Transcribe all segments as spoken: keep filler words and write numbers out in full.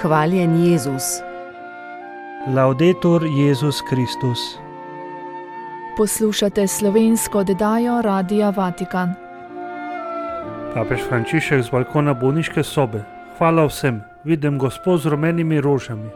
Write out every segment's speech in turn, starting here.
Hvaljen Jezus. Laudetur Jezus Kristus. Poslušate slovensko oddajo Radia Vatikan. Papež Frančišek z balkona bolniške sobe. Hvala vsem, vidim Gospod z rumenimi rožami.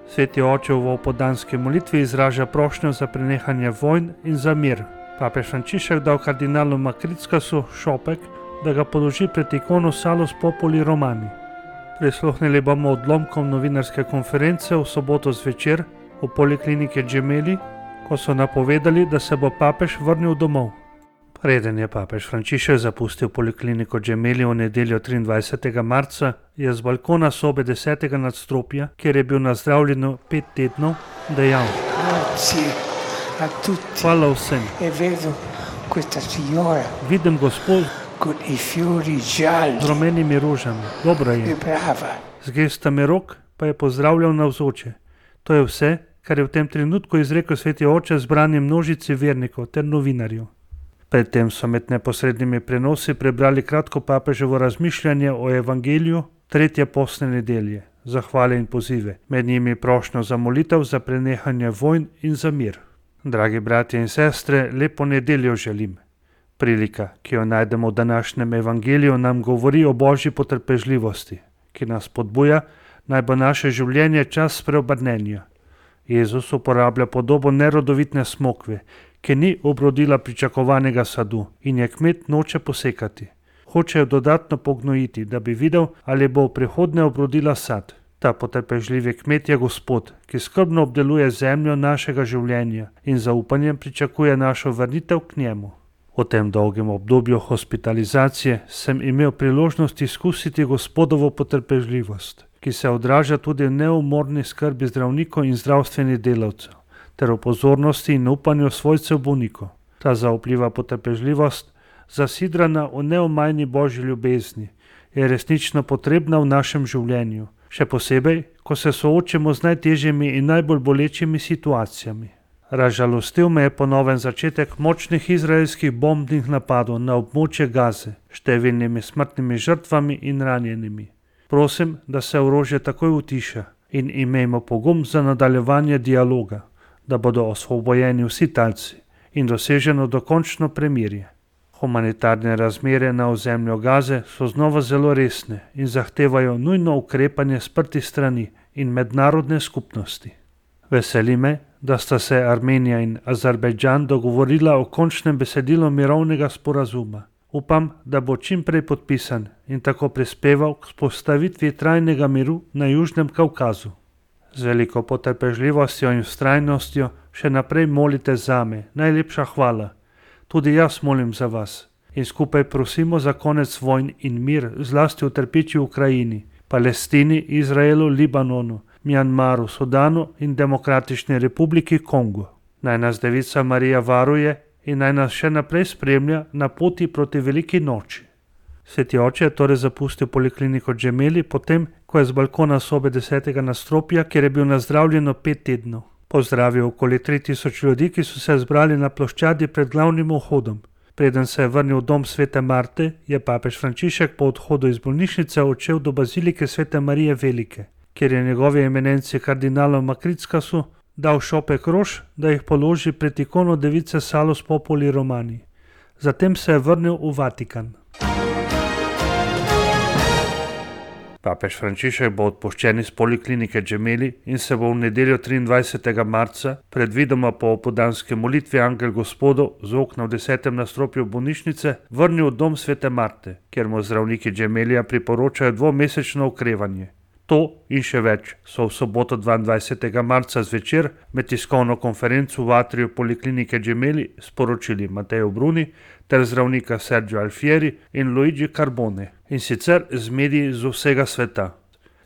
Sveti oče v opoldanski molitvi izraža prošnjo za prenehanje vojn in za mir. Papež Frančišek dal kardinalu Makrickasu šopek, da ga položi pred ikono Salus Populi Romani. Prisluhnili bomo odlomkom novinarske konference v soboto zvečer v polikliniki Gemelli, ko so napovedali, da se bo papež vrnil domov. Preden je papež Frančišek zapustil polikliniko Gemelli v nedeljo triindvajsetega marca, je z balkona sobe desetega nadstropja, kjer je bil nazdravljen pet tednov, dejal: Hvala vsem. Vidim Gospod z rumenimi rožami. Dobro je. Z gestami rok pa je pozdravljal navzoče. To je vse, kar je v tem trenutku izrekel sveti oče zbrani množici vernikov ter novinarjev. Predtem so med neposrednimi prenosi prebrali kratko papeževo razmišljanje o evangeliju tretje postne nedelje, zahvale in pozive, med njimi prošnjo za molitev za prenehanje vojn in za mir. Dragi bratje in sestre, lepo nedeljo želim. Prilika, ki jo najdemo v današnjem evangeliju, nam govori o božji potrpežljivosti, ki nas spodbuja, naj bo naše življenje čas preobrnenja. Jezus uporablja podobo nerodovitne smokve, ki ni obrodila pričakovanega sadu in je kmet noče posekati. Hoče jo dodatno pognojiti, da bi videl, ali bo v prihodnje obrodila sad. Ta potrpežljivi kmet je Gospod, ki skrbno obdeluje zemljo našega življenja in zaupanjem pričakuje našo vrnitev k njemu. V tem dolgem obdobju hospitalizacije sem imel priložnost izkusiti Gospodovo potrpežljivost, ki se odraža tudi v neumorni skrbi zdravnikov in zdravstvenih delavcev, ter v pozornosti in upanju svojcev bolnikov. Ta zaupljiva potrpežljivost, zasidrana v neomajni božji ljubezni, je resnično potrebna v našem življenju, še posebej, ko se soočimo z najtežjimi in najbolj bolečimi situacijami. Razžalostil me je ponoven začetek močnih izraelskih bombnih napadov na območje Gaze, številnimi smrtnimi žrtvami in ranjenimi. Prosim, da se orožje takoj utiša in imejmo pogum za nadaljevanje dialoga, da bodo osvobojeni vsi talci in doseženo dokončno premirje. Humanitarne razmere na ozemlju Gaze so znova zelo resne in zahtevajo nujno ukrepanje sprtih strani in mednarodne skupnosti. Veseli me, da sta se Armenija in Azerbajdžan dogovorila o končnem besedilu mirovnega sporazuma. Upam, da bo čim prej podpisan in tako prispeval k vzpostavitvi trajnega miru na Južnem Kavkazu. Z veliko potrpežljivostjo in vztrajnostjo še naprej molite zame, najlepša hvala. Tudi jaz molim za vas in skupaj prosimo za konec vojn in mir, zlasti v trpeči Ukrajini, Palestini, Izraelu, Libanonu, Mjanmaru, Sudanu in Demokratični republiki Kongo. Naj nas Devica Marija varuje in naj nas še naprej spremlja na poti proti veliki noči. Sveti oče je torej zapustil polikliniko Gemelli potem, ko je z balkona sobe desetega nadstropja, kjer je bil nazdravljen pet tednov, pozdravil okoli tri tisoč ljudi, ki so se zbrali na ploščadi pred glavnim vhodom. Preden se je vrnil v dom svete Marte, je papež Frančišek po odhodu iz bolnišnice odšel do bazilike svete Marije Velike, kjer je njegovi eminenci kardinalu Makrickasu dal šopek rož, da jih položi pred ikono device Salus Populi Romani. Zatem se je vrnil v Vatikan. Papež Frančišek bo odpuščen iz poliklinike Gemelli in se bo v nedeljo triindvajsetega marca, predvidoma po opoldanski molitvi Angel Gospodov z okna v desetem nadstropju bolnišnice, vrnil v dom svete Marte, kjer mu zdravniki Gemellija priporočajo dvomesečno okrevanje. To in še več so v soboto dvaindvajsetega marca zvečer med tiskovno konferenco v atriju poliklinike Gemelli sporočili Matteo Bruni ter zdravnika Sergio Alfieri in Luigi Carbone, in sicer z mediji z vsega sveta.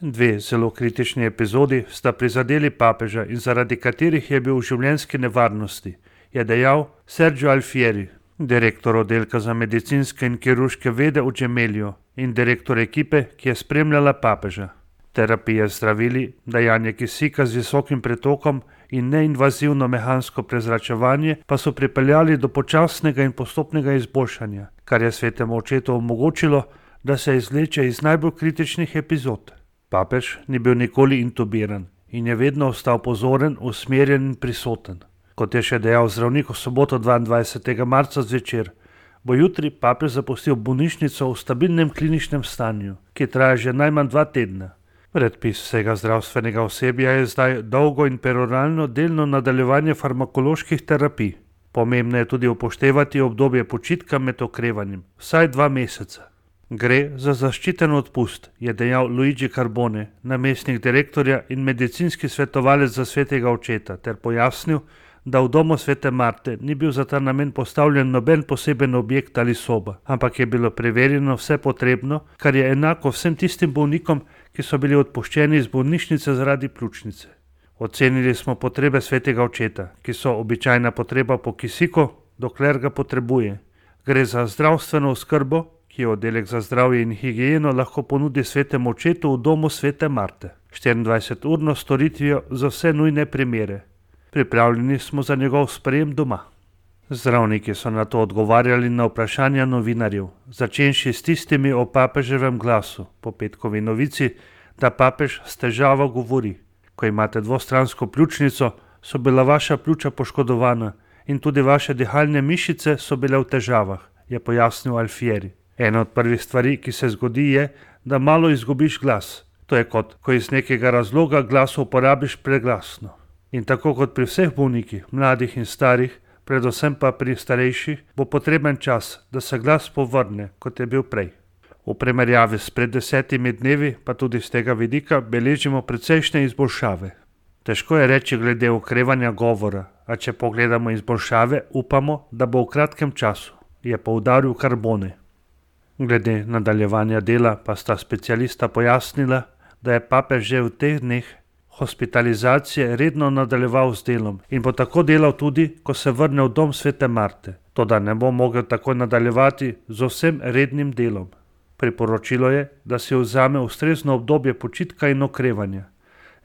Dve zelo kritični epizodi sta prizadeli papeža in zaradi katerih je bil v življenjski nevarnosti, je dejal Sergio Alfieri, direktor oddelka za medicinske in kirurške vede v Gemelliju in direktor ekipe, ki je spremljala papeža. Terapije z zdravili, dajanje kisika z visokim pretokom in neinvazivno mehansko prezračevanje pa so pripeljali do počasnega in postopnega izboljšanja, kar je svetemu očetu omogočilo, da se izvleče iz najbolj kritičnih epizod. Papež ni bil nikoli intubiran in je vedno ostal pozoren, usmerjen in prisoten. Kot je še dejal zdravnik v soboto dvaindvajsetega marca zvečer, bo jutri papež zapustil bolnišnico v stabilnem kliničnem stanju, ki traja že najmanj dva tedna. Predpis vsega zdravstvenega osebja je zdaj dolgo in peroralno delno nadaljevanje farmakoloških terapij. Pomembno je tudi upoštevati obdobje počitka med okrevanjem, vsaj dva meseca. Gre za zaščiten odpust, je dejal Luigi Carbone, namestnik direktorja in medicinski svetovalec za svetega očeta, ter pojasnil, da v domu svete Marte ni bil za ta namen postavljen noben poseben objekt ali soba, ampak je bilo preverjeno vse potrebno, kar je enako vsem tistim bolnikom, ki so bili odpuščeni iz bolnišnice zaradi pljučnice. Ocenili smo potrebe svetega očeta, ki so običajna potreba po kisiku, dokler ga potrebuje. Gre za zdravstveno oskrbo, ki jo oddelek za zdravje in higieno lahko ponudi svetemu očetu v domu svete Marte. štiriindvajseturno storitvijo za vse nujne primere. Pripravljeni smo za njegov sprejem doma. Zdravniki so na to odgovarjali na vprašanja novinarjev, začenši s tistimi o papeževem glasu, po petkovi novici, da papež s težavo govori. Ko imate dvostransko pljučnico, so bila vaša pljuča poškodovana in tudi vaše dihalne mišice so bile v težavah, je pojasnil Alfieri. Ena od prvih stvari, ki se zgodi, je, da malo izgubiš glas. To je kot, ko iz nekega razloga glas uporabiš preglasno. In tako kot pri vseh bolnikih, mladih in starih, predvsem pa pri starejših, bo potreben čas, da se glas povrne, kot je bil prej. V primerjavi s pred desetimi dnevi, pa tudi z tega vidika, beležimo precejšnje izboljšave. Težko je reči glede okrevanja govora, a če pogledamo izboljšave, upamo, da bo v kratkem času, je poudaril Carbone. Glede nadaljevanja dela pa sta specialista pojasnila, da je papež že v teh dneh hospitalizacije redno nadaljeval z delom in bo tako delal tudi, ko se vrne v dom svete Marte, toda ne bo mogel tako nadaljevati z vsem rednim delom. Priporočilo je, da si vzame ustrezno obdobje počitka in okrevanja.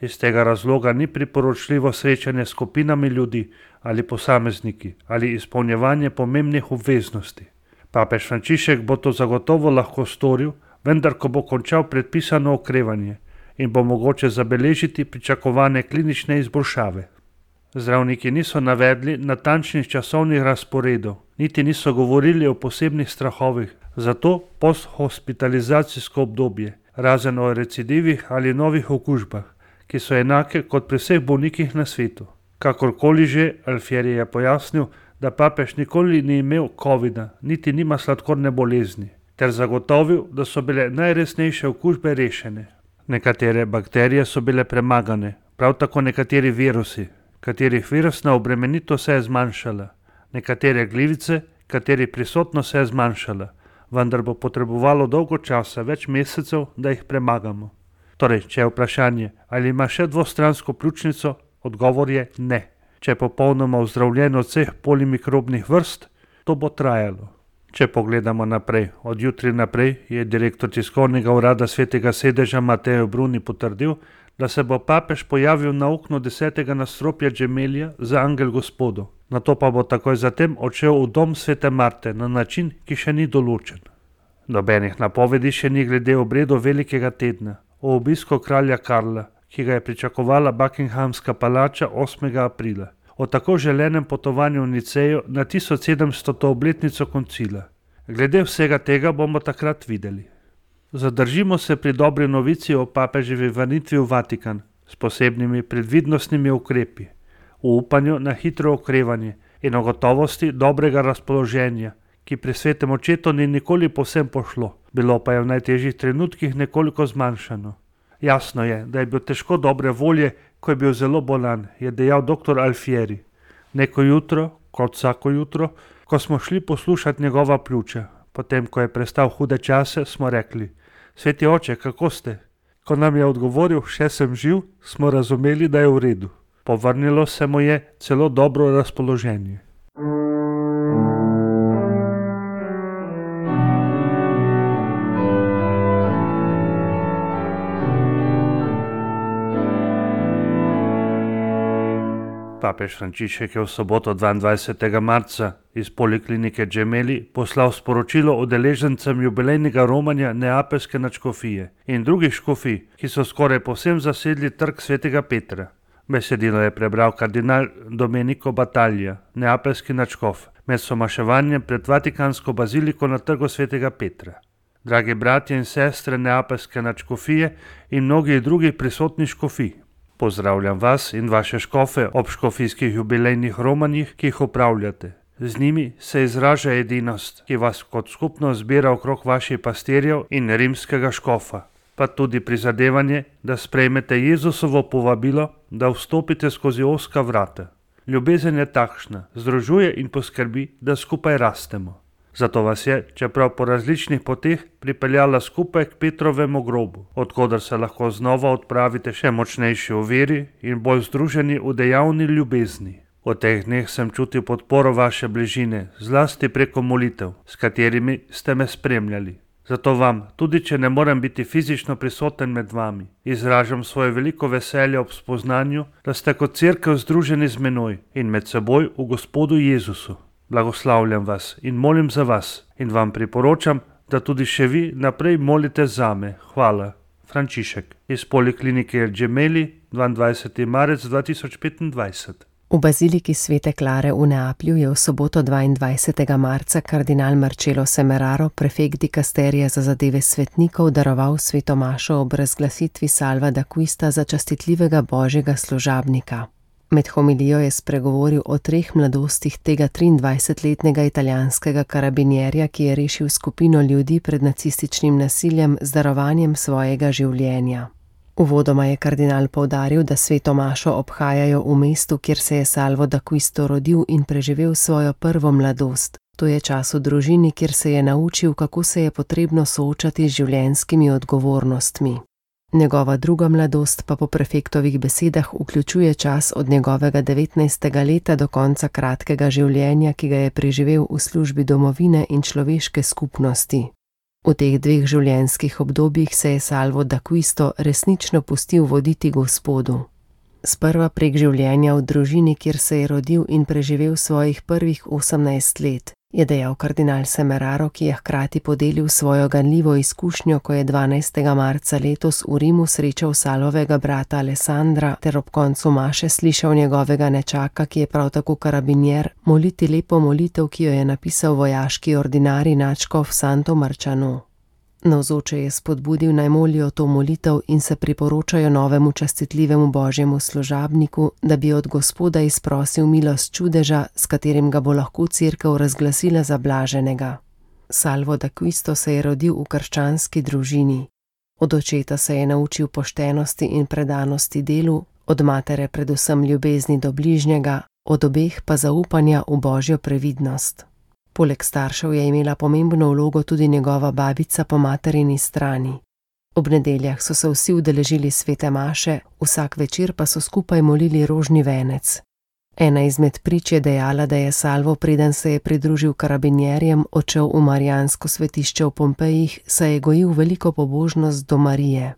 Iz tega razloga ni priporočljivo srečanje s skupinami ljudi ali posamezniki ali izpolnjevanje pomembnih obveznosti. Papež Frančišek bo to zagotovo lahko storil, vendar ko bo končal predpisano okrevanje in bo mogoče zabeležiti pričakovane klinične izboljšave. Zdravniki niso navedli natančnih časovnih razporedov, niti niso govorili o posebnih strahovih, zato posthospitalizacijsko obdobje, razen o recidivih ali novih okužbah, ki so enake kot pri vseh bolnikih na svetu. Kakorkoli že, Alfieri je pojasnil, da papež nikoli ni imel covida, niti nima sladkorne bolezni, ter zagotovil, da so bile najresnejše okužbe rešene. Nekatere bakterije so bile premagane, prav tako nekateri virusi, katerih virusna obremenitev se je zmanjšala, nekatere glivice, katerih prisotnost se je zmanjšala, vendar bo potrebovalo dolgo časa, več mesecev, da jih premagamo. Torej, če je vprašanje, ali ima še dvostransko pljučnico, odgovor je ne. Če je popolnoma ozdravljen od vseh polimikrobnih vrst, to bo trajalo. Če pogledamo naprej, od jutri naprej je direktor tiskovnega urada svetega sedeža Mateo Bruni potrdil, da se bo papež pojavil na oknu desetega nadstropja Gemelja za angel gospodov. Nato pa bo takoj zatem odšel v dom svete Marte na način, ki še ni določen. Nobenih napovedi še ni glede obredov velikega tedna, o obisku kralja Karla, ki ga je pričakovala Buckinghamska palača osmega aprila, o tako želenem potovanju v Nicejo na tisoč sedemstoto obletnico koncila. Glede vsega tega bomo takrat videli. Zadržimo se pri dobri novici o papeževi vrnitvi v Vatikan s posebnimi predvidnostnimi ukrepi, v upanju na hitro okrevanje in o gotovosti dobrega razpoloženja, ki pri svetem očetu ni nikoli povsem pošlo, bilo pa je v najtežjih trenutkih nekoliko zmanjšano. Jasno je, da je bil težko dobre volje, ko je bil zelo bolan, je dejal doktor Alfieri. Neko jutro, kot vsako jutro, ko smo šli poslušati njegova pljuča, potem ko je prestal hude čase, smo rekli: Sveti oče, kako ste? Ko nam je odgovoril, še sem živ, smo razumeli, da je v redu. Povrnilo se mu je celo dobro razpoloženje. Papež Frančišek je v soboto dvaindvajsetega marca iz poliklinike Gemelli poslal sporočilo udeležencem jubilejnega romanja neapeljske nadškofije in drugih škofij, ki so skoraj povsem zasedli trg svetega Petra. Besedilo je prebral kardinal Domenico Battaglia, neapeljski nadškof, med somaševanjem pred Vatikansko baziliko na trgu svetega Petra. Dragi bratje in sestre neapeljske nadškofije in mnogi drugi prisotni škofij, pozdravljam vas in vaše škofe ob škofijskih jubilejnih romanjih, ki jih upravljate. Z njimi se izraža edinost, ki vas kot skupno zbira okrog vaših pastirjev in rimskega škofa, pa tudi prizadevanje, da sprejmete Jezusovo povabilo, da vstopite skozi ozka vrata. Ljubezen je takšna, združuje in poskrbi, da skupaj rastemo. Zato vas je, čeprav po različnih poteh, pripeljala skupaj k Petrovemu grobu, odkudar se lahko znova odpravite še močnejši v veri in bolj združeni v dejavni ljubezni. V teh dneh sem čutil podporo vaše bližine, zlasti preko molitev, s katerimi ste me spremljali. Zato vam, tudi če ne morem biti fizično prisoten med vami, izražam svoje veliko veselje ob spoznanju, da ste kot cerkev združeni z menoj in med seboj v Gospodu Jezusu. Blagoslavljam vas in molim za vas in vam priporočam, da tudi še vi naprej molite zame. Hvala. Frančišek iz poliklinike Gemelli, dvaindvajseti marec dva tisoč petindvajset. V baziliki Svete Klare v Neaplju je v soboto dvaindvajsetega marca kardinal Marcello Semeraro, prefekt dikasterija za zadeve svetnikov, daroval sveto mašo ob razglasitvi Salva d'Acquista za častitljivega božjega služabnika. Med homilijo je spregovoril o treh mladostih tega triindvajsetletnega italijanskega karabinjerja, ki je rešil skupino ljudi pred nacističnim nasiljem z darovanjem svojega življenja. Uvodoma je kardinal poudaril, da sveto mašo obhajajo v mestu, kjer se je Salvo d'Acquisto rodil in preživel svojo prvo mladost. To je čas v družini, kjer se je naučil, kako se je potrebno soočati z življenjskimi odgovornostmi. Njegova druga mladost pa po prefektovih besedah vključuje čas od njegovega devetnajstega leta do konca kratkega življenja, ki ga je preživel v službi domovine in človeške skupnosti. V teh dveh življenjskih obdobjih se je Salvo d'Acquisto resnično pustil voditi Gospodu. Sprva prek življenja v družini, kjer se je rodil in preživel svojih prvih osemnajst let, je dejal kardinal Semeraro, ki je hkrati podelil svojo ganljivo izkušnjo, ko je dvanajstega marca letos v Rimu srečal Salvovega brata Alessandra ter ob koncu maše slišal njegovega nečaka, ki je prav tako karabinjer, moliti lepo molitev, ki jo je napisal vojaški ordinarij nadškof Santo Marciano. Navzoče je spodbudil naj molijo to molitev in se priporočajo novemu častitljivemu božjemu služabniku, da bi od Gospoda izprosil milost čudeža, s katerim ga bo lahko cerkev razglasila za blaženega. Salvo d'Acquisto se je rodil v krščanski družini. Od očeta se je naučil poštenosti in predanosti delu, od matere predvsem ljubezni do bližnjega, od obeh pa zaupanja v božjo previdnost. Poleg staršev je imela pomembno vlogo tudi njegova babica po materini strani. Ob nedeljah so se vsi udeležili svete maše, vsak večer pa so skupaj molili rožni venec. Ena izmed prič je dejala, da je Salvo, preden se je pridružil karabinjerjem, odšel v marijansko svetišče v Pompejih, saj je gojil veliko pobožnost do Marije.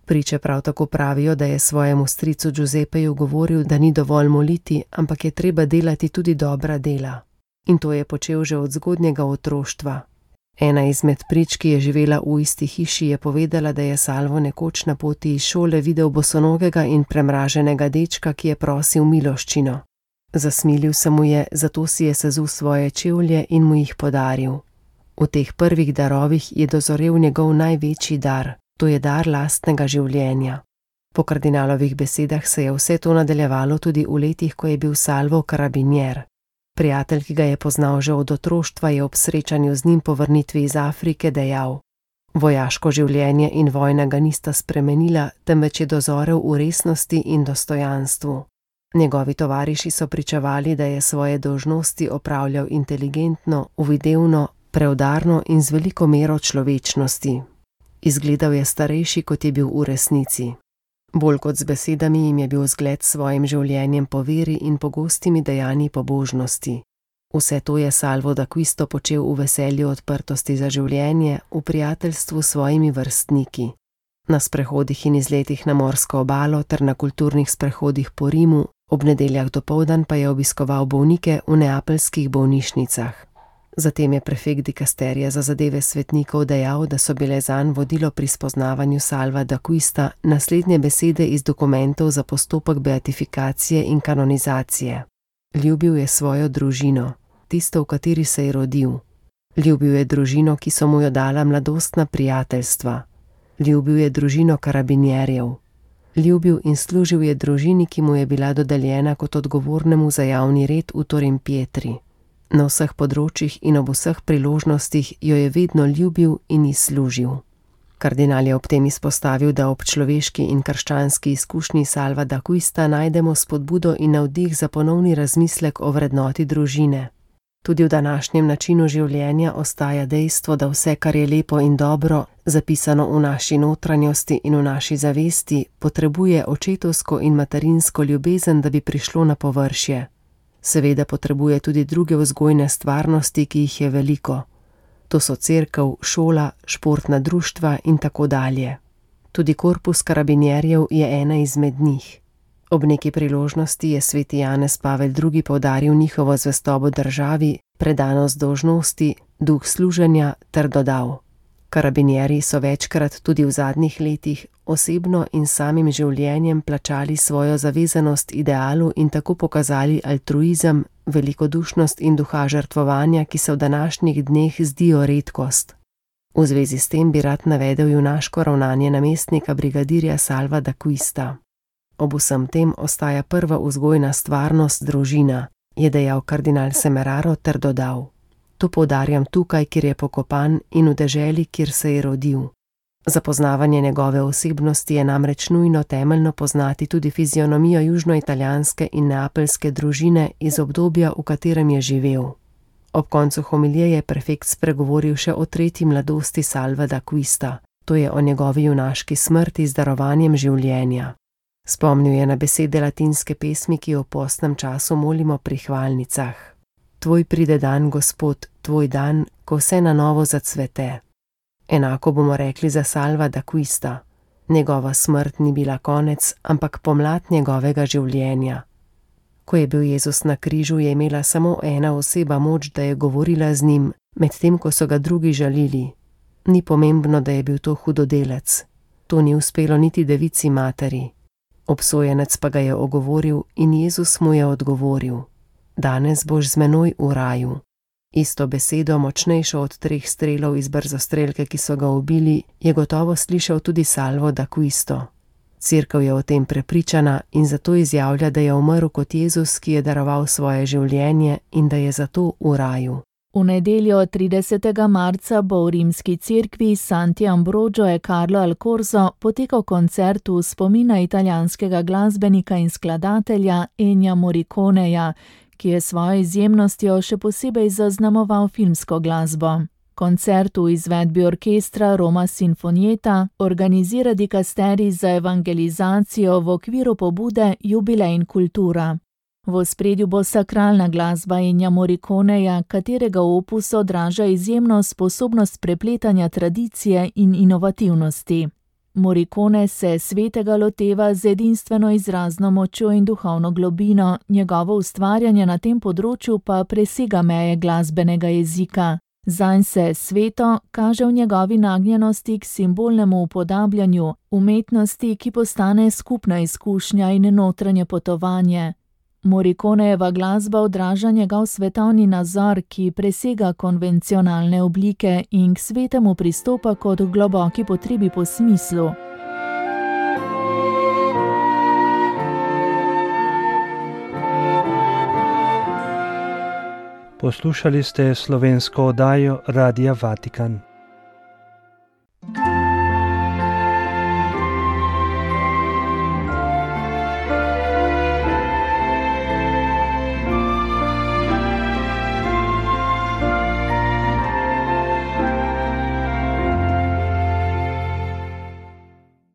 Priče prav tako pravijo, da je svojemu stricu Giuseppeju govoril, da ni dovolj moliti, ampak je treba delati tudi dobra dela. In to je počel že od zgodnjega otroštva. Ena izmed prič, ki je živela v isti hiši, je povedala, da je Salvo nekoč na poti iz šole videl bosonogega in premraženega dečka, ki je prosil miloščino. Zasmilil se mu je, zato si je sezul svoje čevlje in mu jih podaril. V teh prvih darovih je dozorel njegov največji dar, to je dar lastnega življenja. Po kardinalovih besedah se je vse to nadaljevalo tudi v letih, ko je bil Salvo karabinjer. Prijatelj, ki ga je poznal že od otroštva, je ob srečanju z njim po vrnitvi iz Afrike dejal: vojaško življenje in vojna ga nista spremenila, temveč je dozorel v resnosti in dostojanstvu. Njegovi tovariši so pričevali, da je svoje dolžnosti opravljal inteligentno, uvidevno, preudarno in z veliko mero človečnosti. Izgledal je starejši, kot je bil v resnici. Bolj kot z besedami jim je bil zgled s svojim življenjem po veri in pogostimi dejanji pobožnosti. Vse to je Salvo d'Acquisto počel v veselju odprtosti za življenje, v prijateljstvu s svojimi vrstniki. Na sprehodih in izletih na morsko obalo ter na kulturnih sprehodih po Rimu Ob nedeljah dopoldan pa je obiskoval bolnike v neapeljskih bolnišnicah. Zatem je prefekt dikasterija za zadeve svetnikov dejal, da so bile zanj vodilo pri spoznavanju Salva d'Acquista naslednje besede iz dokumentov za postopek beatifikacije in kanonizacije. Ljubil je svojo družino, tisto, v kateri se je rodil. Ljubil je družino, ki so mu jo dala mladostna prijateljstva. Ljubil je družino karabinjerjev. Ljubil in služil je družini, ki mu je bila dodeljena kot odgovornemu za javni red v Torimpietri. Na vseh področjih in ob vseh priložnostih jo je vedno ljubil in ji služil. Kardinal je ob tem izpostavil, da ob človeški in krščanski izkušnji Salva d'Acquista najdemo spodbudo in navdih za ponovni razmislek o vrednoti družine. Tudi v današnjem načinu življenja ostaja dejstvo, da vse, kar je lepo in dobro, zapisano v naši notranjosti in v naši zavesti, potrebuje očetovsko in materinsko ljubezen, da bi prišlo na površje. Seveda potrebuje tudi druge vzgojne stvarnosti, ki jih je veliko. To so cerkev, šola, športna društva in tako dalje. Tudi korpus karabinjerjev je ena izmed njih. Ob neki priložnosti je sveti Janez Pavel drugi poudaril njihovo zvestobo državi, predanost dolžnosti, duh služenja ter dodal: Karabinjerji so večkrat tudi v zadnjih letih osebno in samim življenjem plačali svojo zavezanost idealu in tako pokazali altruizem, velikodušnost in duha žrtvovanja, ki se v današnjih dneh zdijo redkost. V zvezi s tem bi rad navedel junaško ravnanje namestnika brigadirja Salva d'Acquista. Ob vsem tem ostaja prva vzgojna stvarnost družina, je dejal kardinal Semeraro ter dodal: To poudarjam tukaj, kjer je pokopan, in v deželi, kjer se je rodil. Za poznavanje njegove osebnosti je namreč nujno temeljno poznati tudi fizionomijo južnoitalijanske in neapeljske družine iz obdobja, v katerem je živel. Ob koncu homilije je prefekt spregovoril še o tretji mladosti Salva d'Acquista, to je o njegovi junaški smrti z darovanjem življenja. Spomnil je na besede latinske pesmi, ki jo v postnem času molimo pri hvalnicah. Tvoj pride dan, Gospod, tvoj dan, ko vse na novo zacvete. Enako bomo rekli za Salva d'Acquista. Njegova smrt ni bila konec, ampak pomlad njegovega življenja. Ko je bil Jezus na križu, je imela samo ena oseba moč, da je govorila z njim, medtem ko so ga drugi žalili. Ni pomembno, da je bil to hudodelec. To ni uspelo niti devici materi. Obsojenec pa ga je ogovoril in Jezus mu je odgovoril: Danes boš z menoj v raju. Isto besedo, močnejšo od treh strelov iz brzostrelke, ki so ga ubili, je gotovo slišal tudi Salvo d'Acquisto. Cerkev je o tem prepričana in zato izjavlja, da je umrl kot Jezus, ki je daroval svoje življenje in da je zato v raju. V nedeljo tridesetega marca bo v rimski cerkvi Santi Ambrogio e Carlo al Corso potekal koncert v spomina italijanskega glasbenika in skladatelja Ennija Morriconeja, ki je svojo izjemnostjo še posebej zaznamoval filmsko glasbo. Koncert v izvedbi orkestra Roma Sinfonietta organizira dikasterij za evangelizacijo v okviru pobude Jubilej in kultura. V ospredju bo sakralna glasba Ennija Morriconeja, katerega opus odraža izjemno sposobnost prepletanja tradicije in inovativnosti. Morricone se svetega loteva z edinstveno izrazno močjo in duhovno globino, njegovo ustvarjanje na tem področju pa presega meje glasbenega jezika. Zanj se sveto kaže v njegovi nagnjenosti k simbolnemu upodabljanju, umetnosti, ki postane skupna izkušnja in notranje potovanje. Morriconejeva glasba odraža njegov svetovni nazor, ki presega konvencionalne oblike in k svetemu pristopa kot v globoki potrebi po smislu. Poslušali ste slovensko oddajo Radia Vatikan.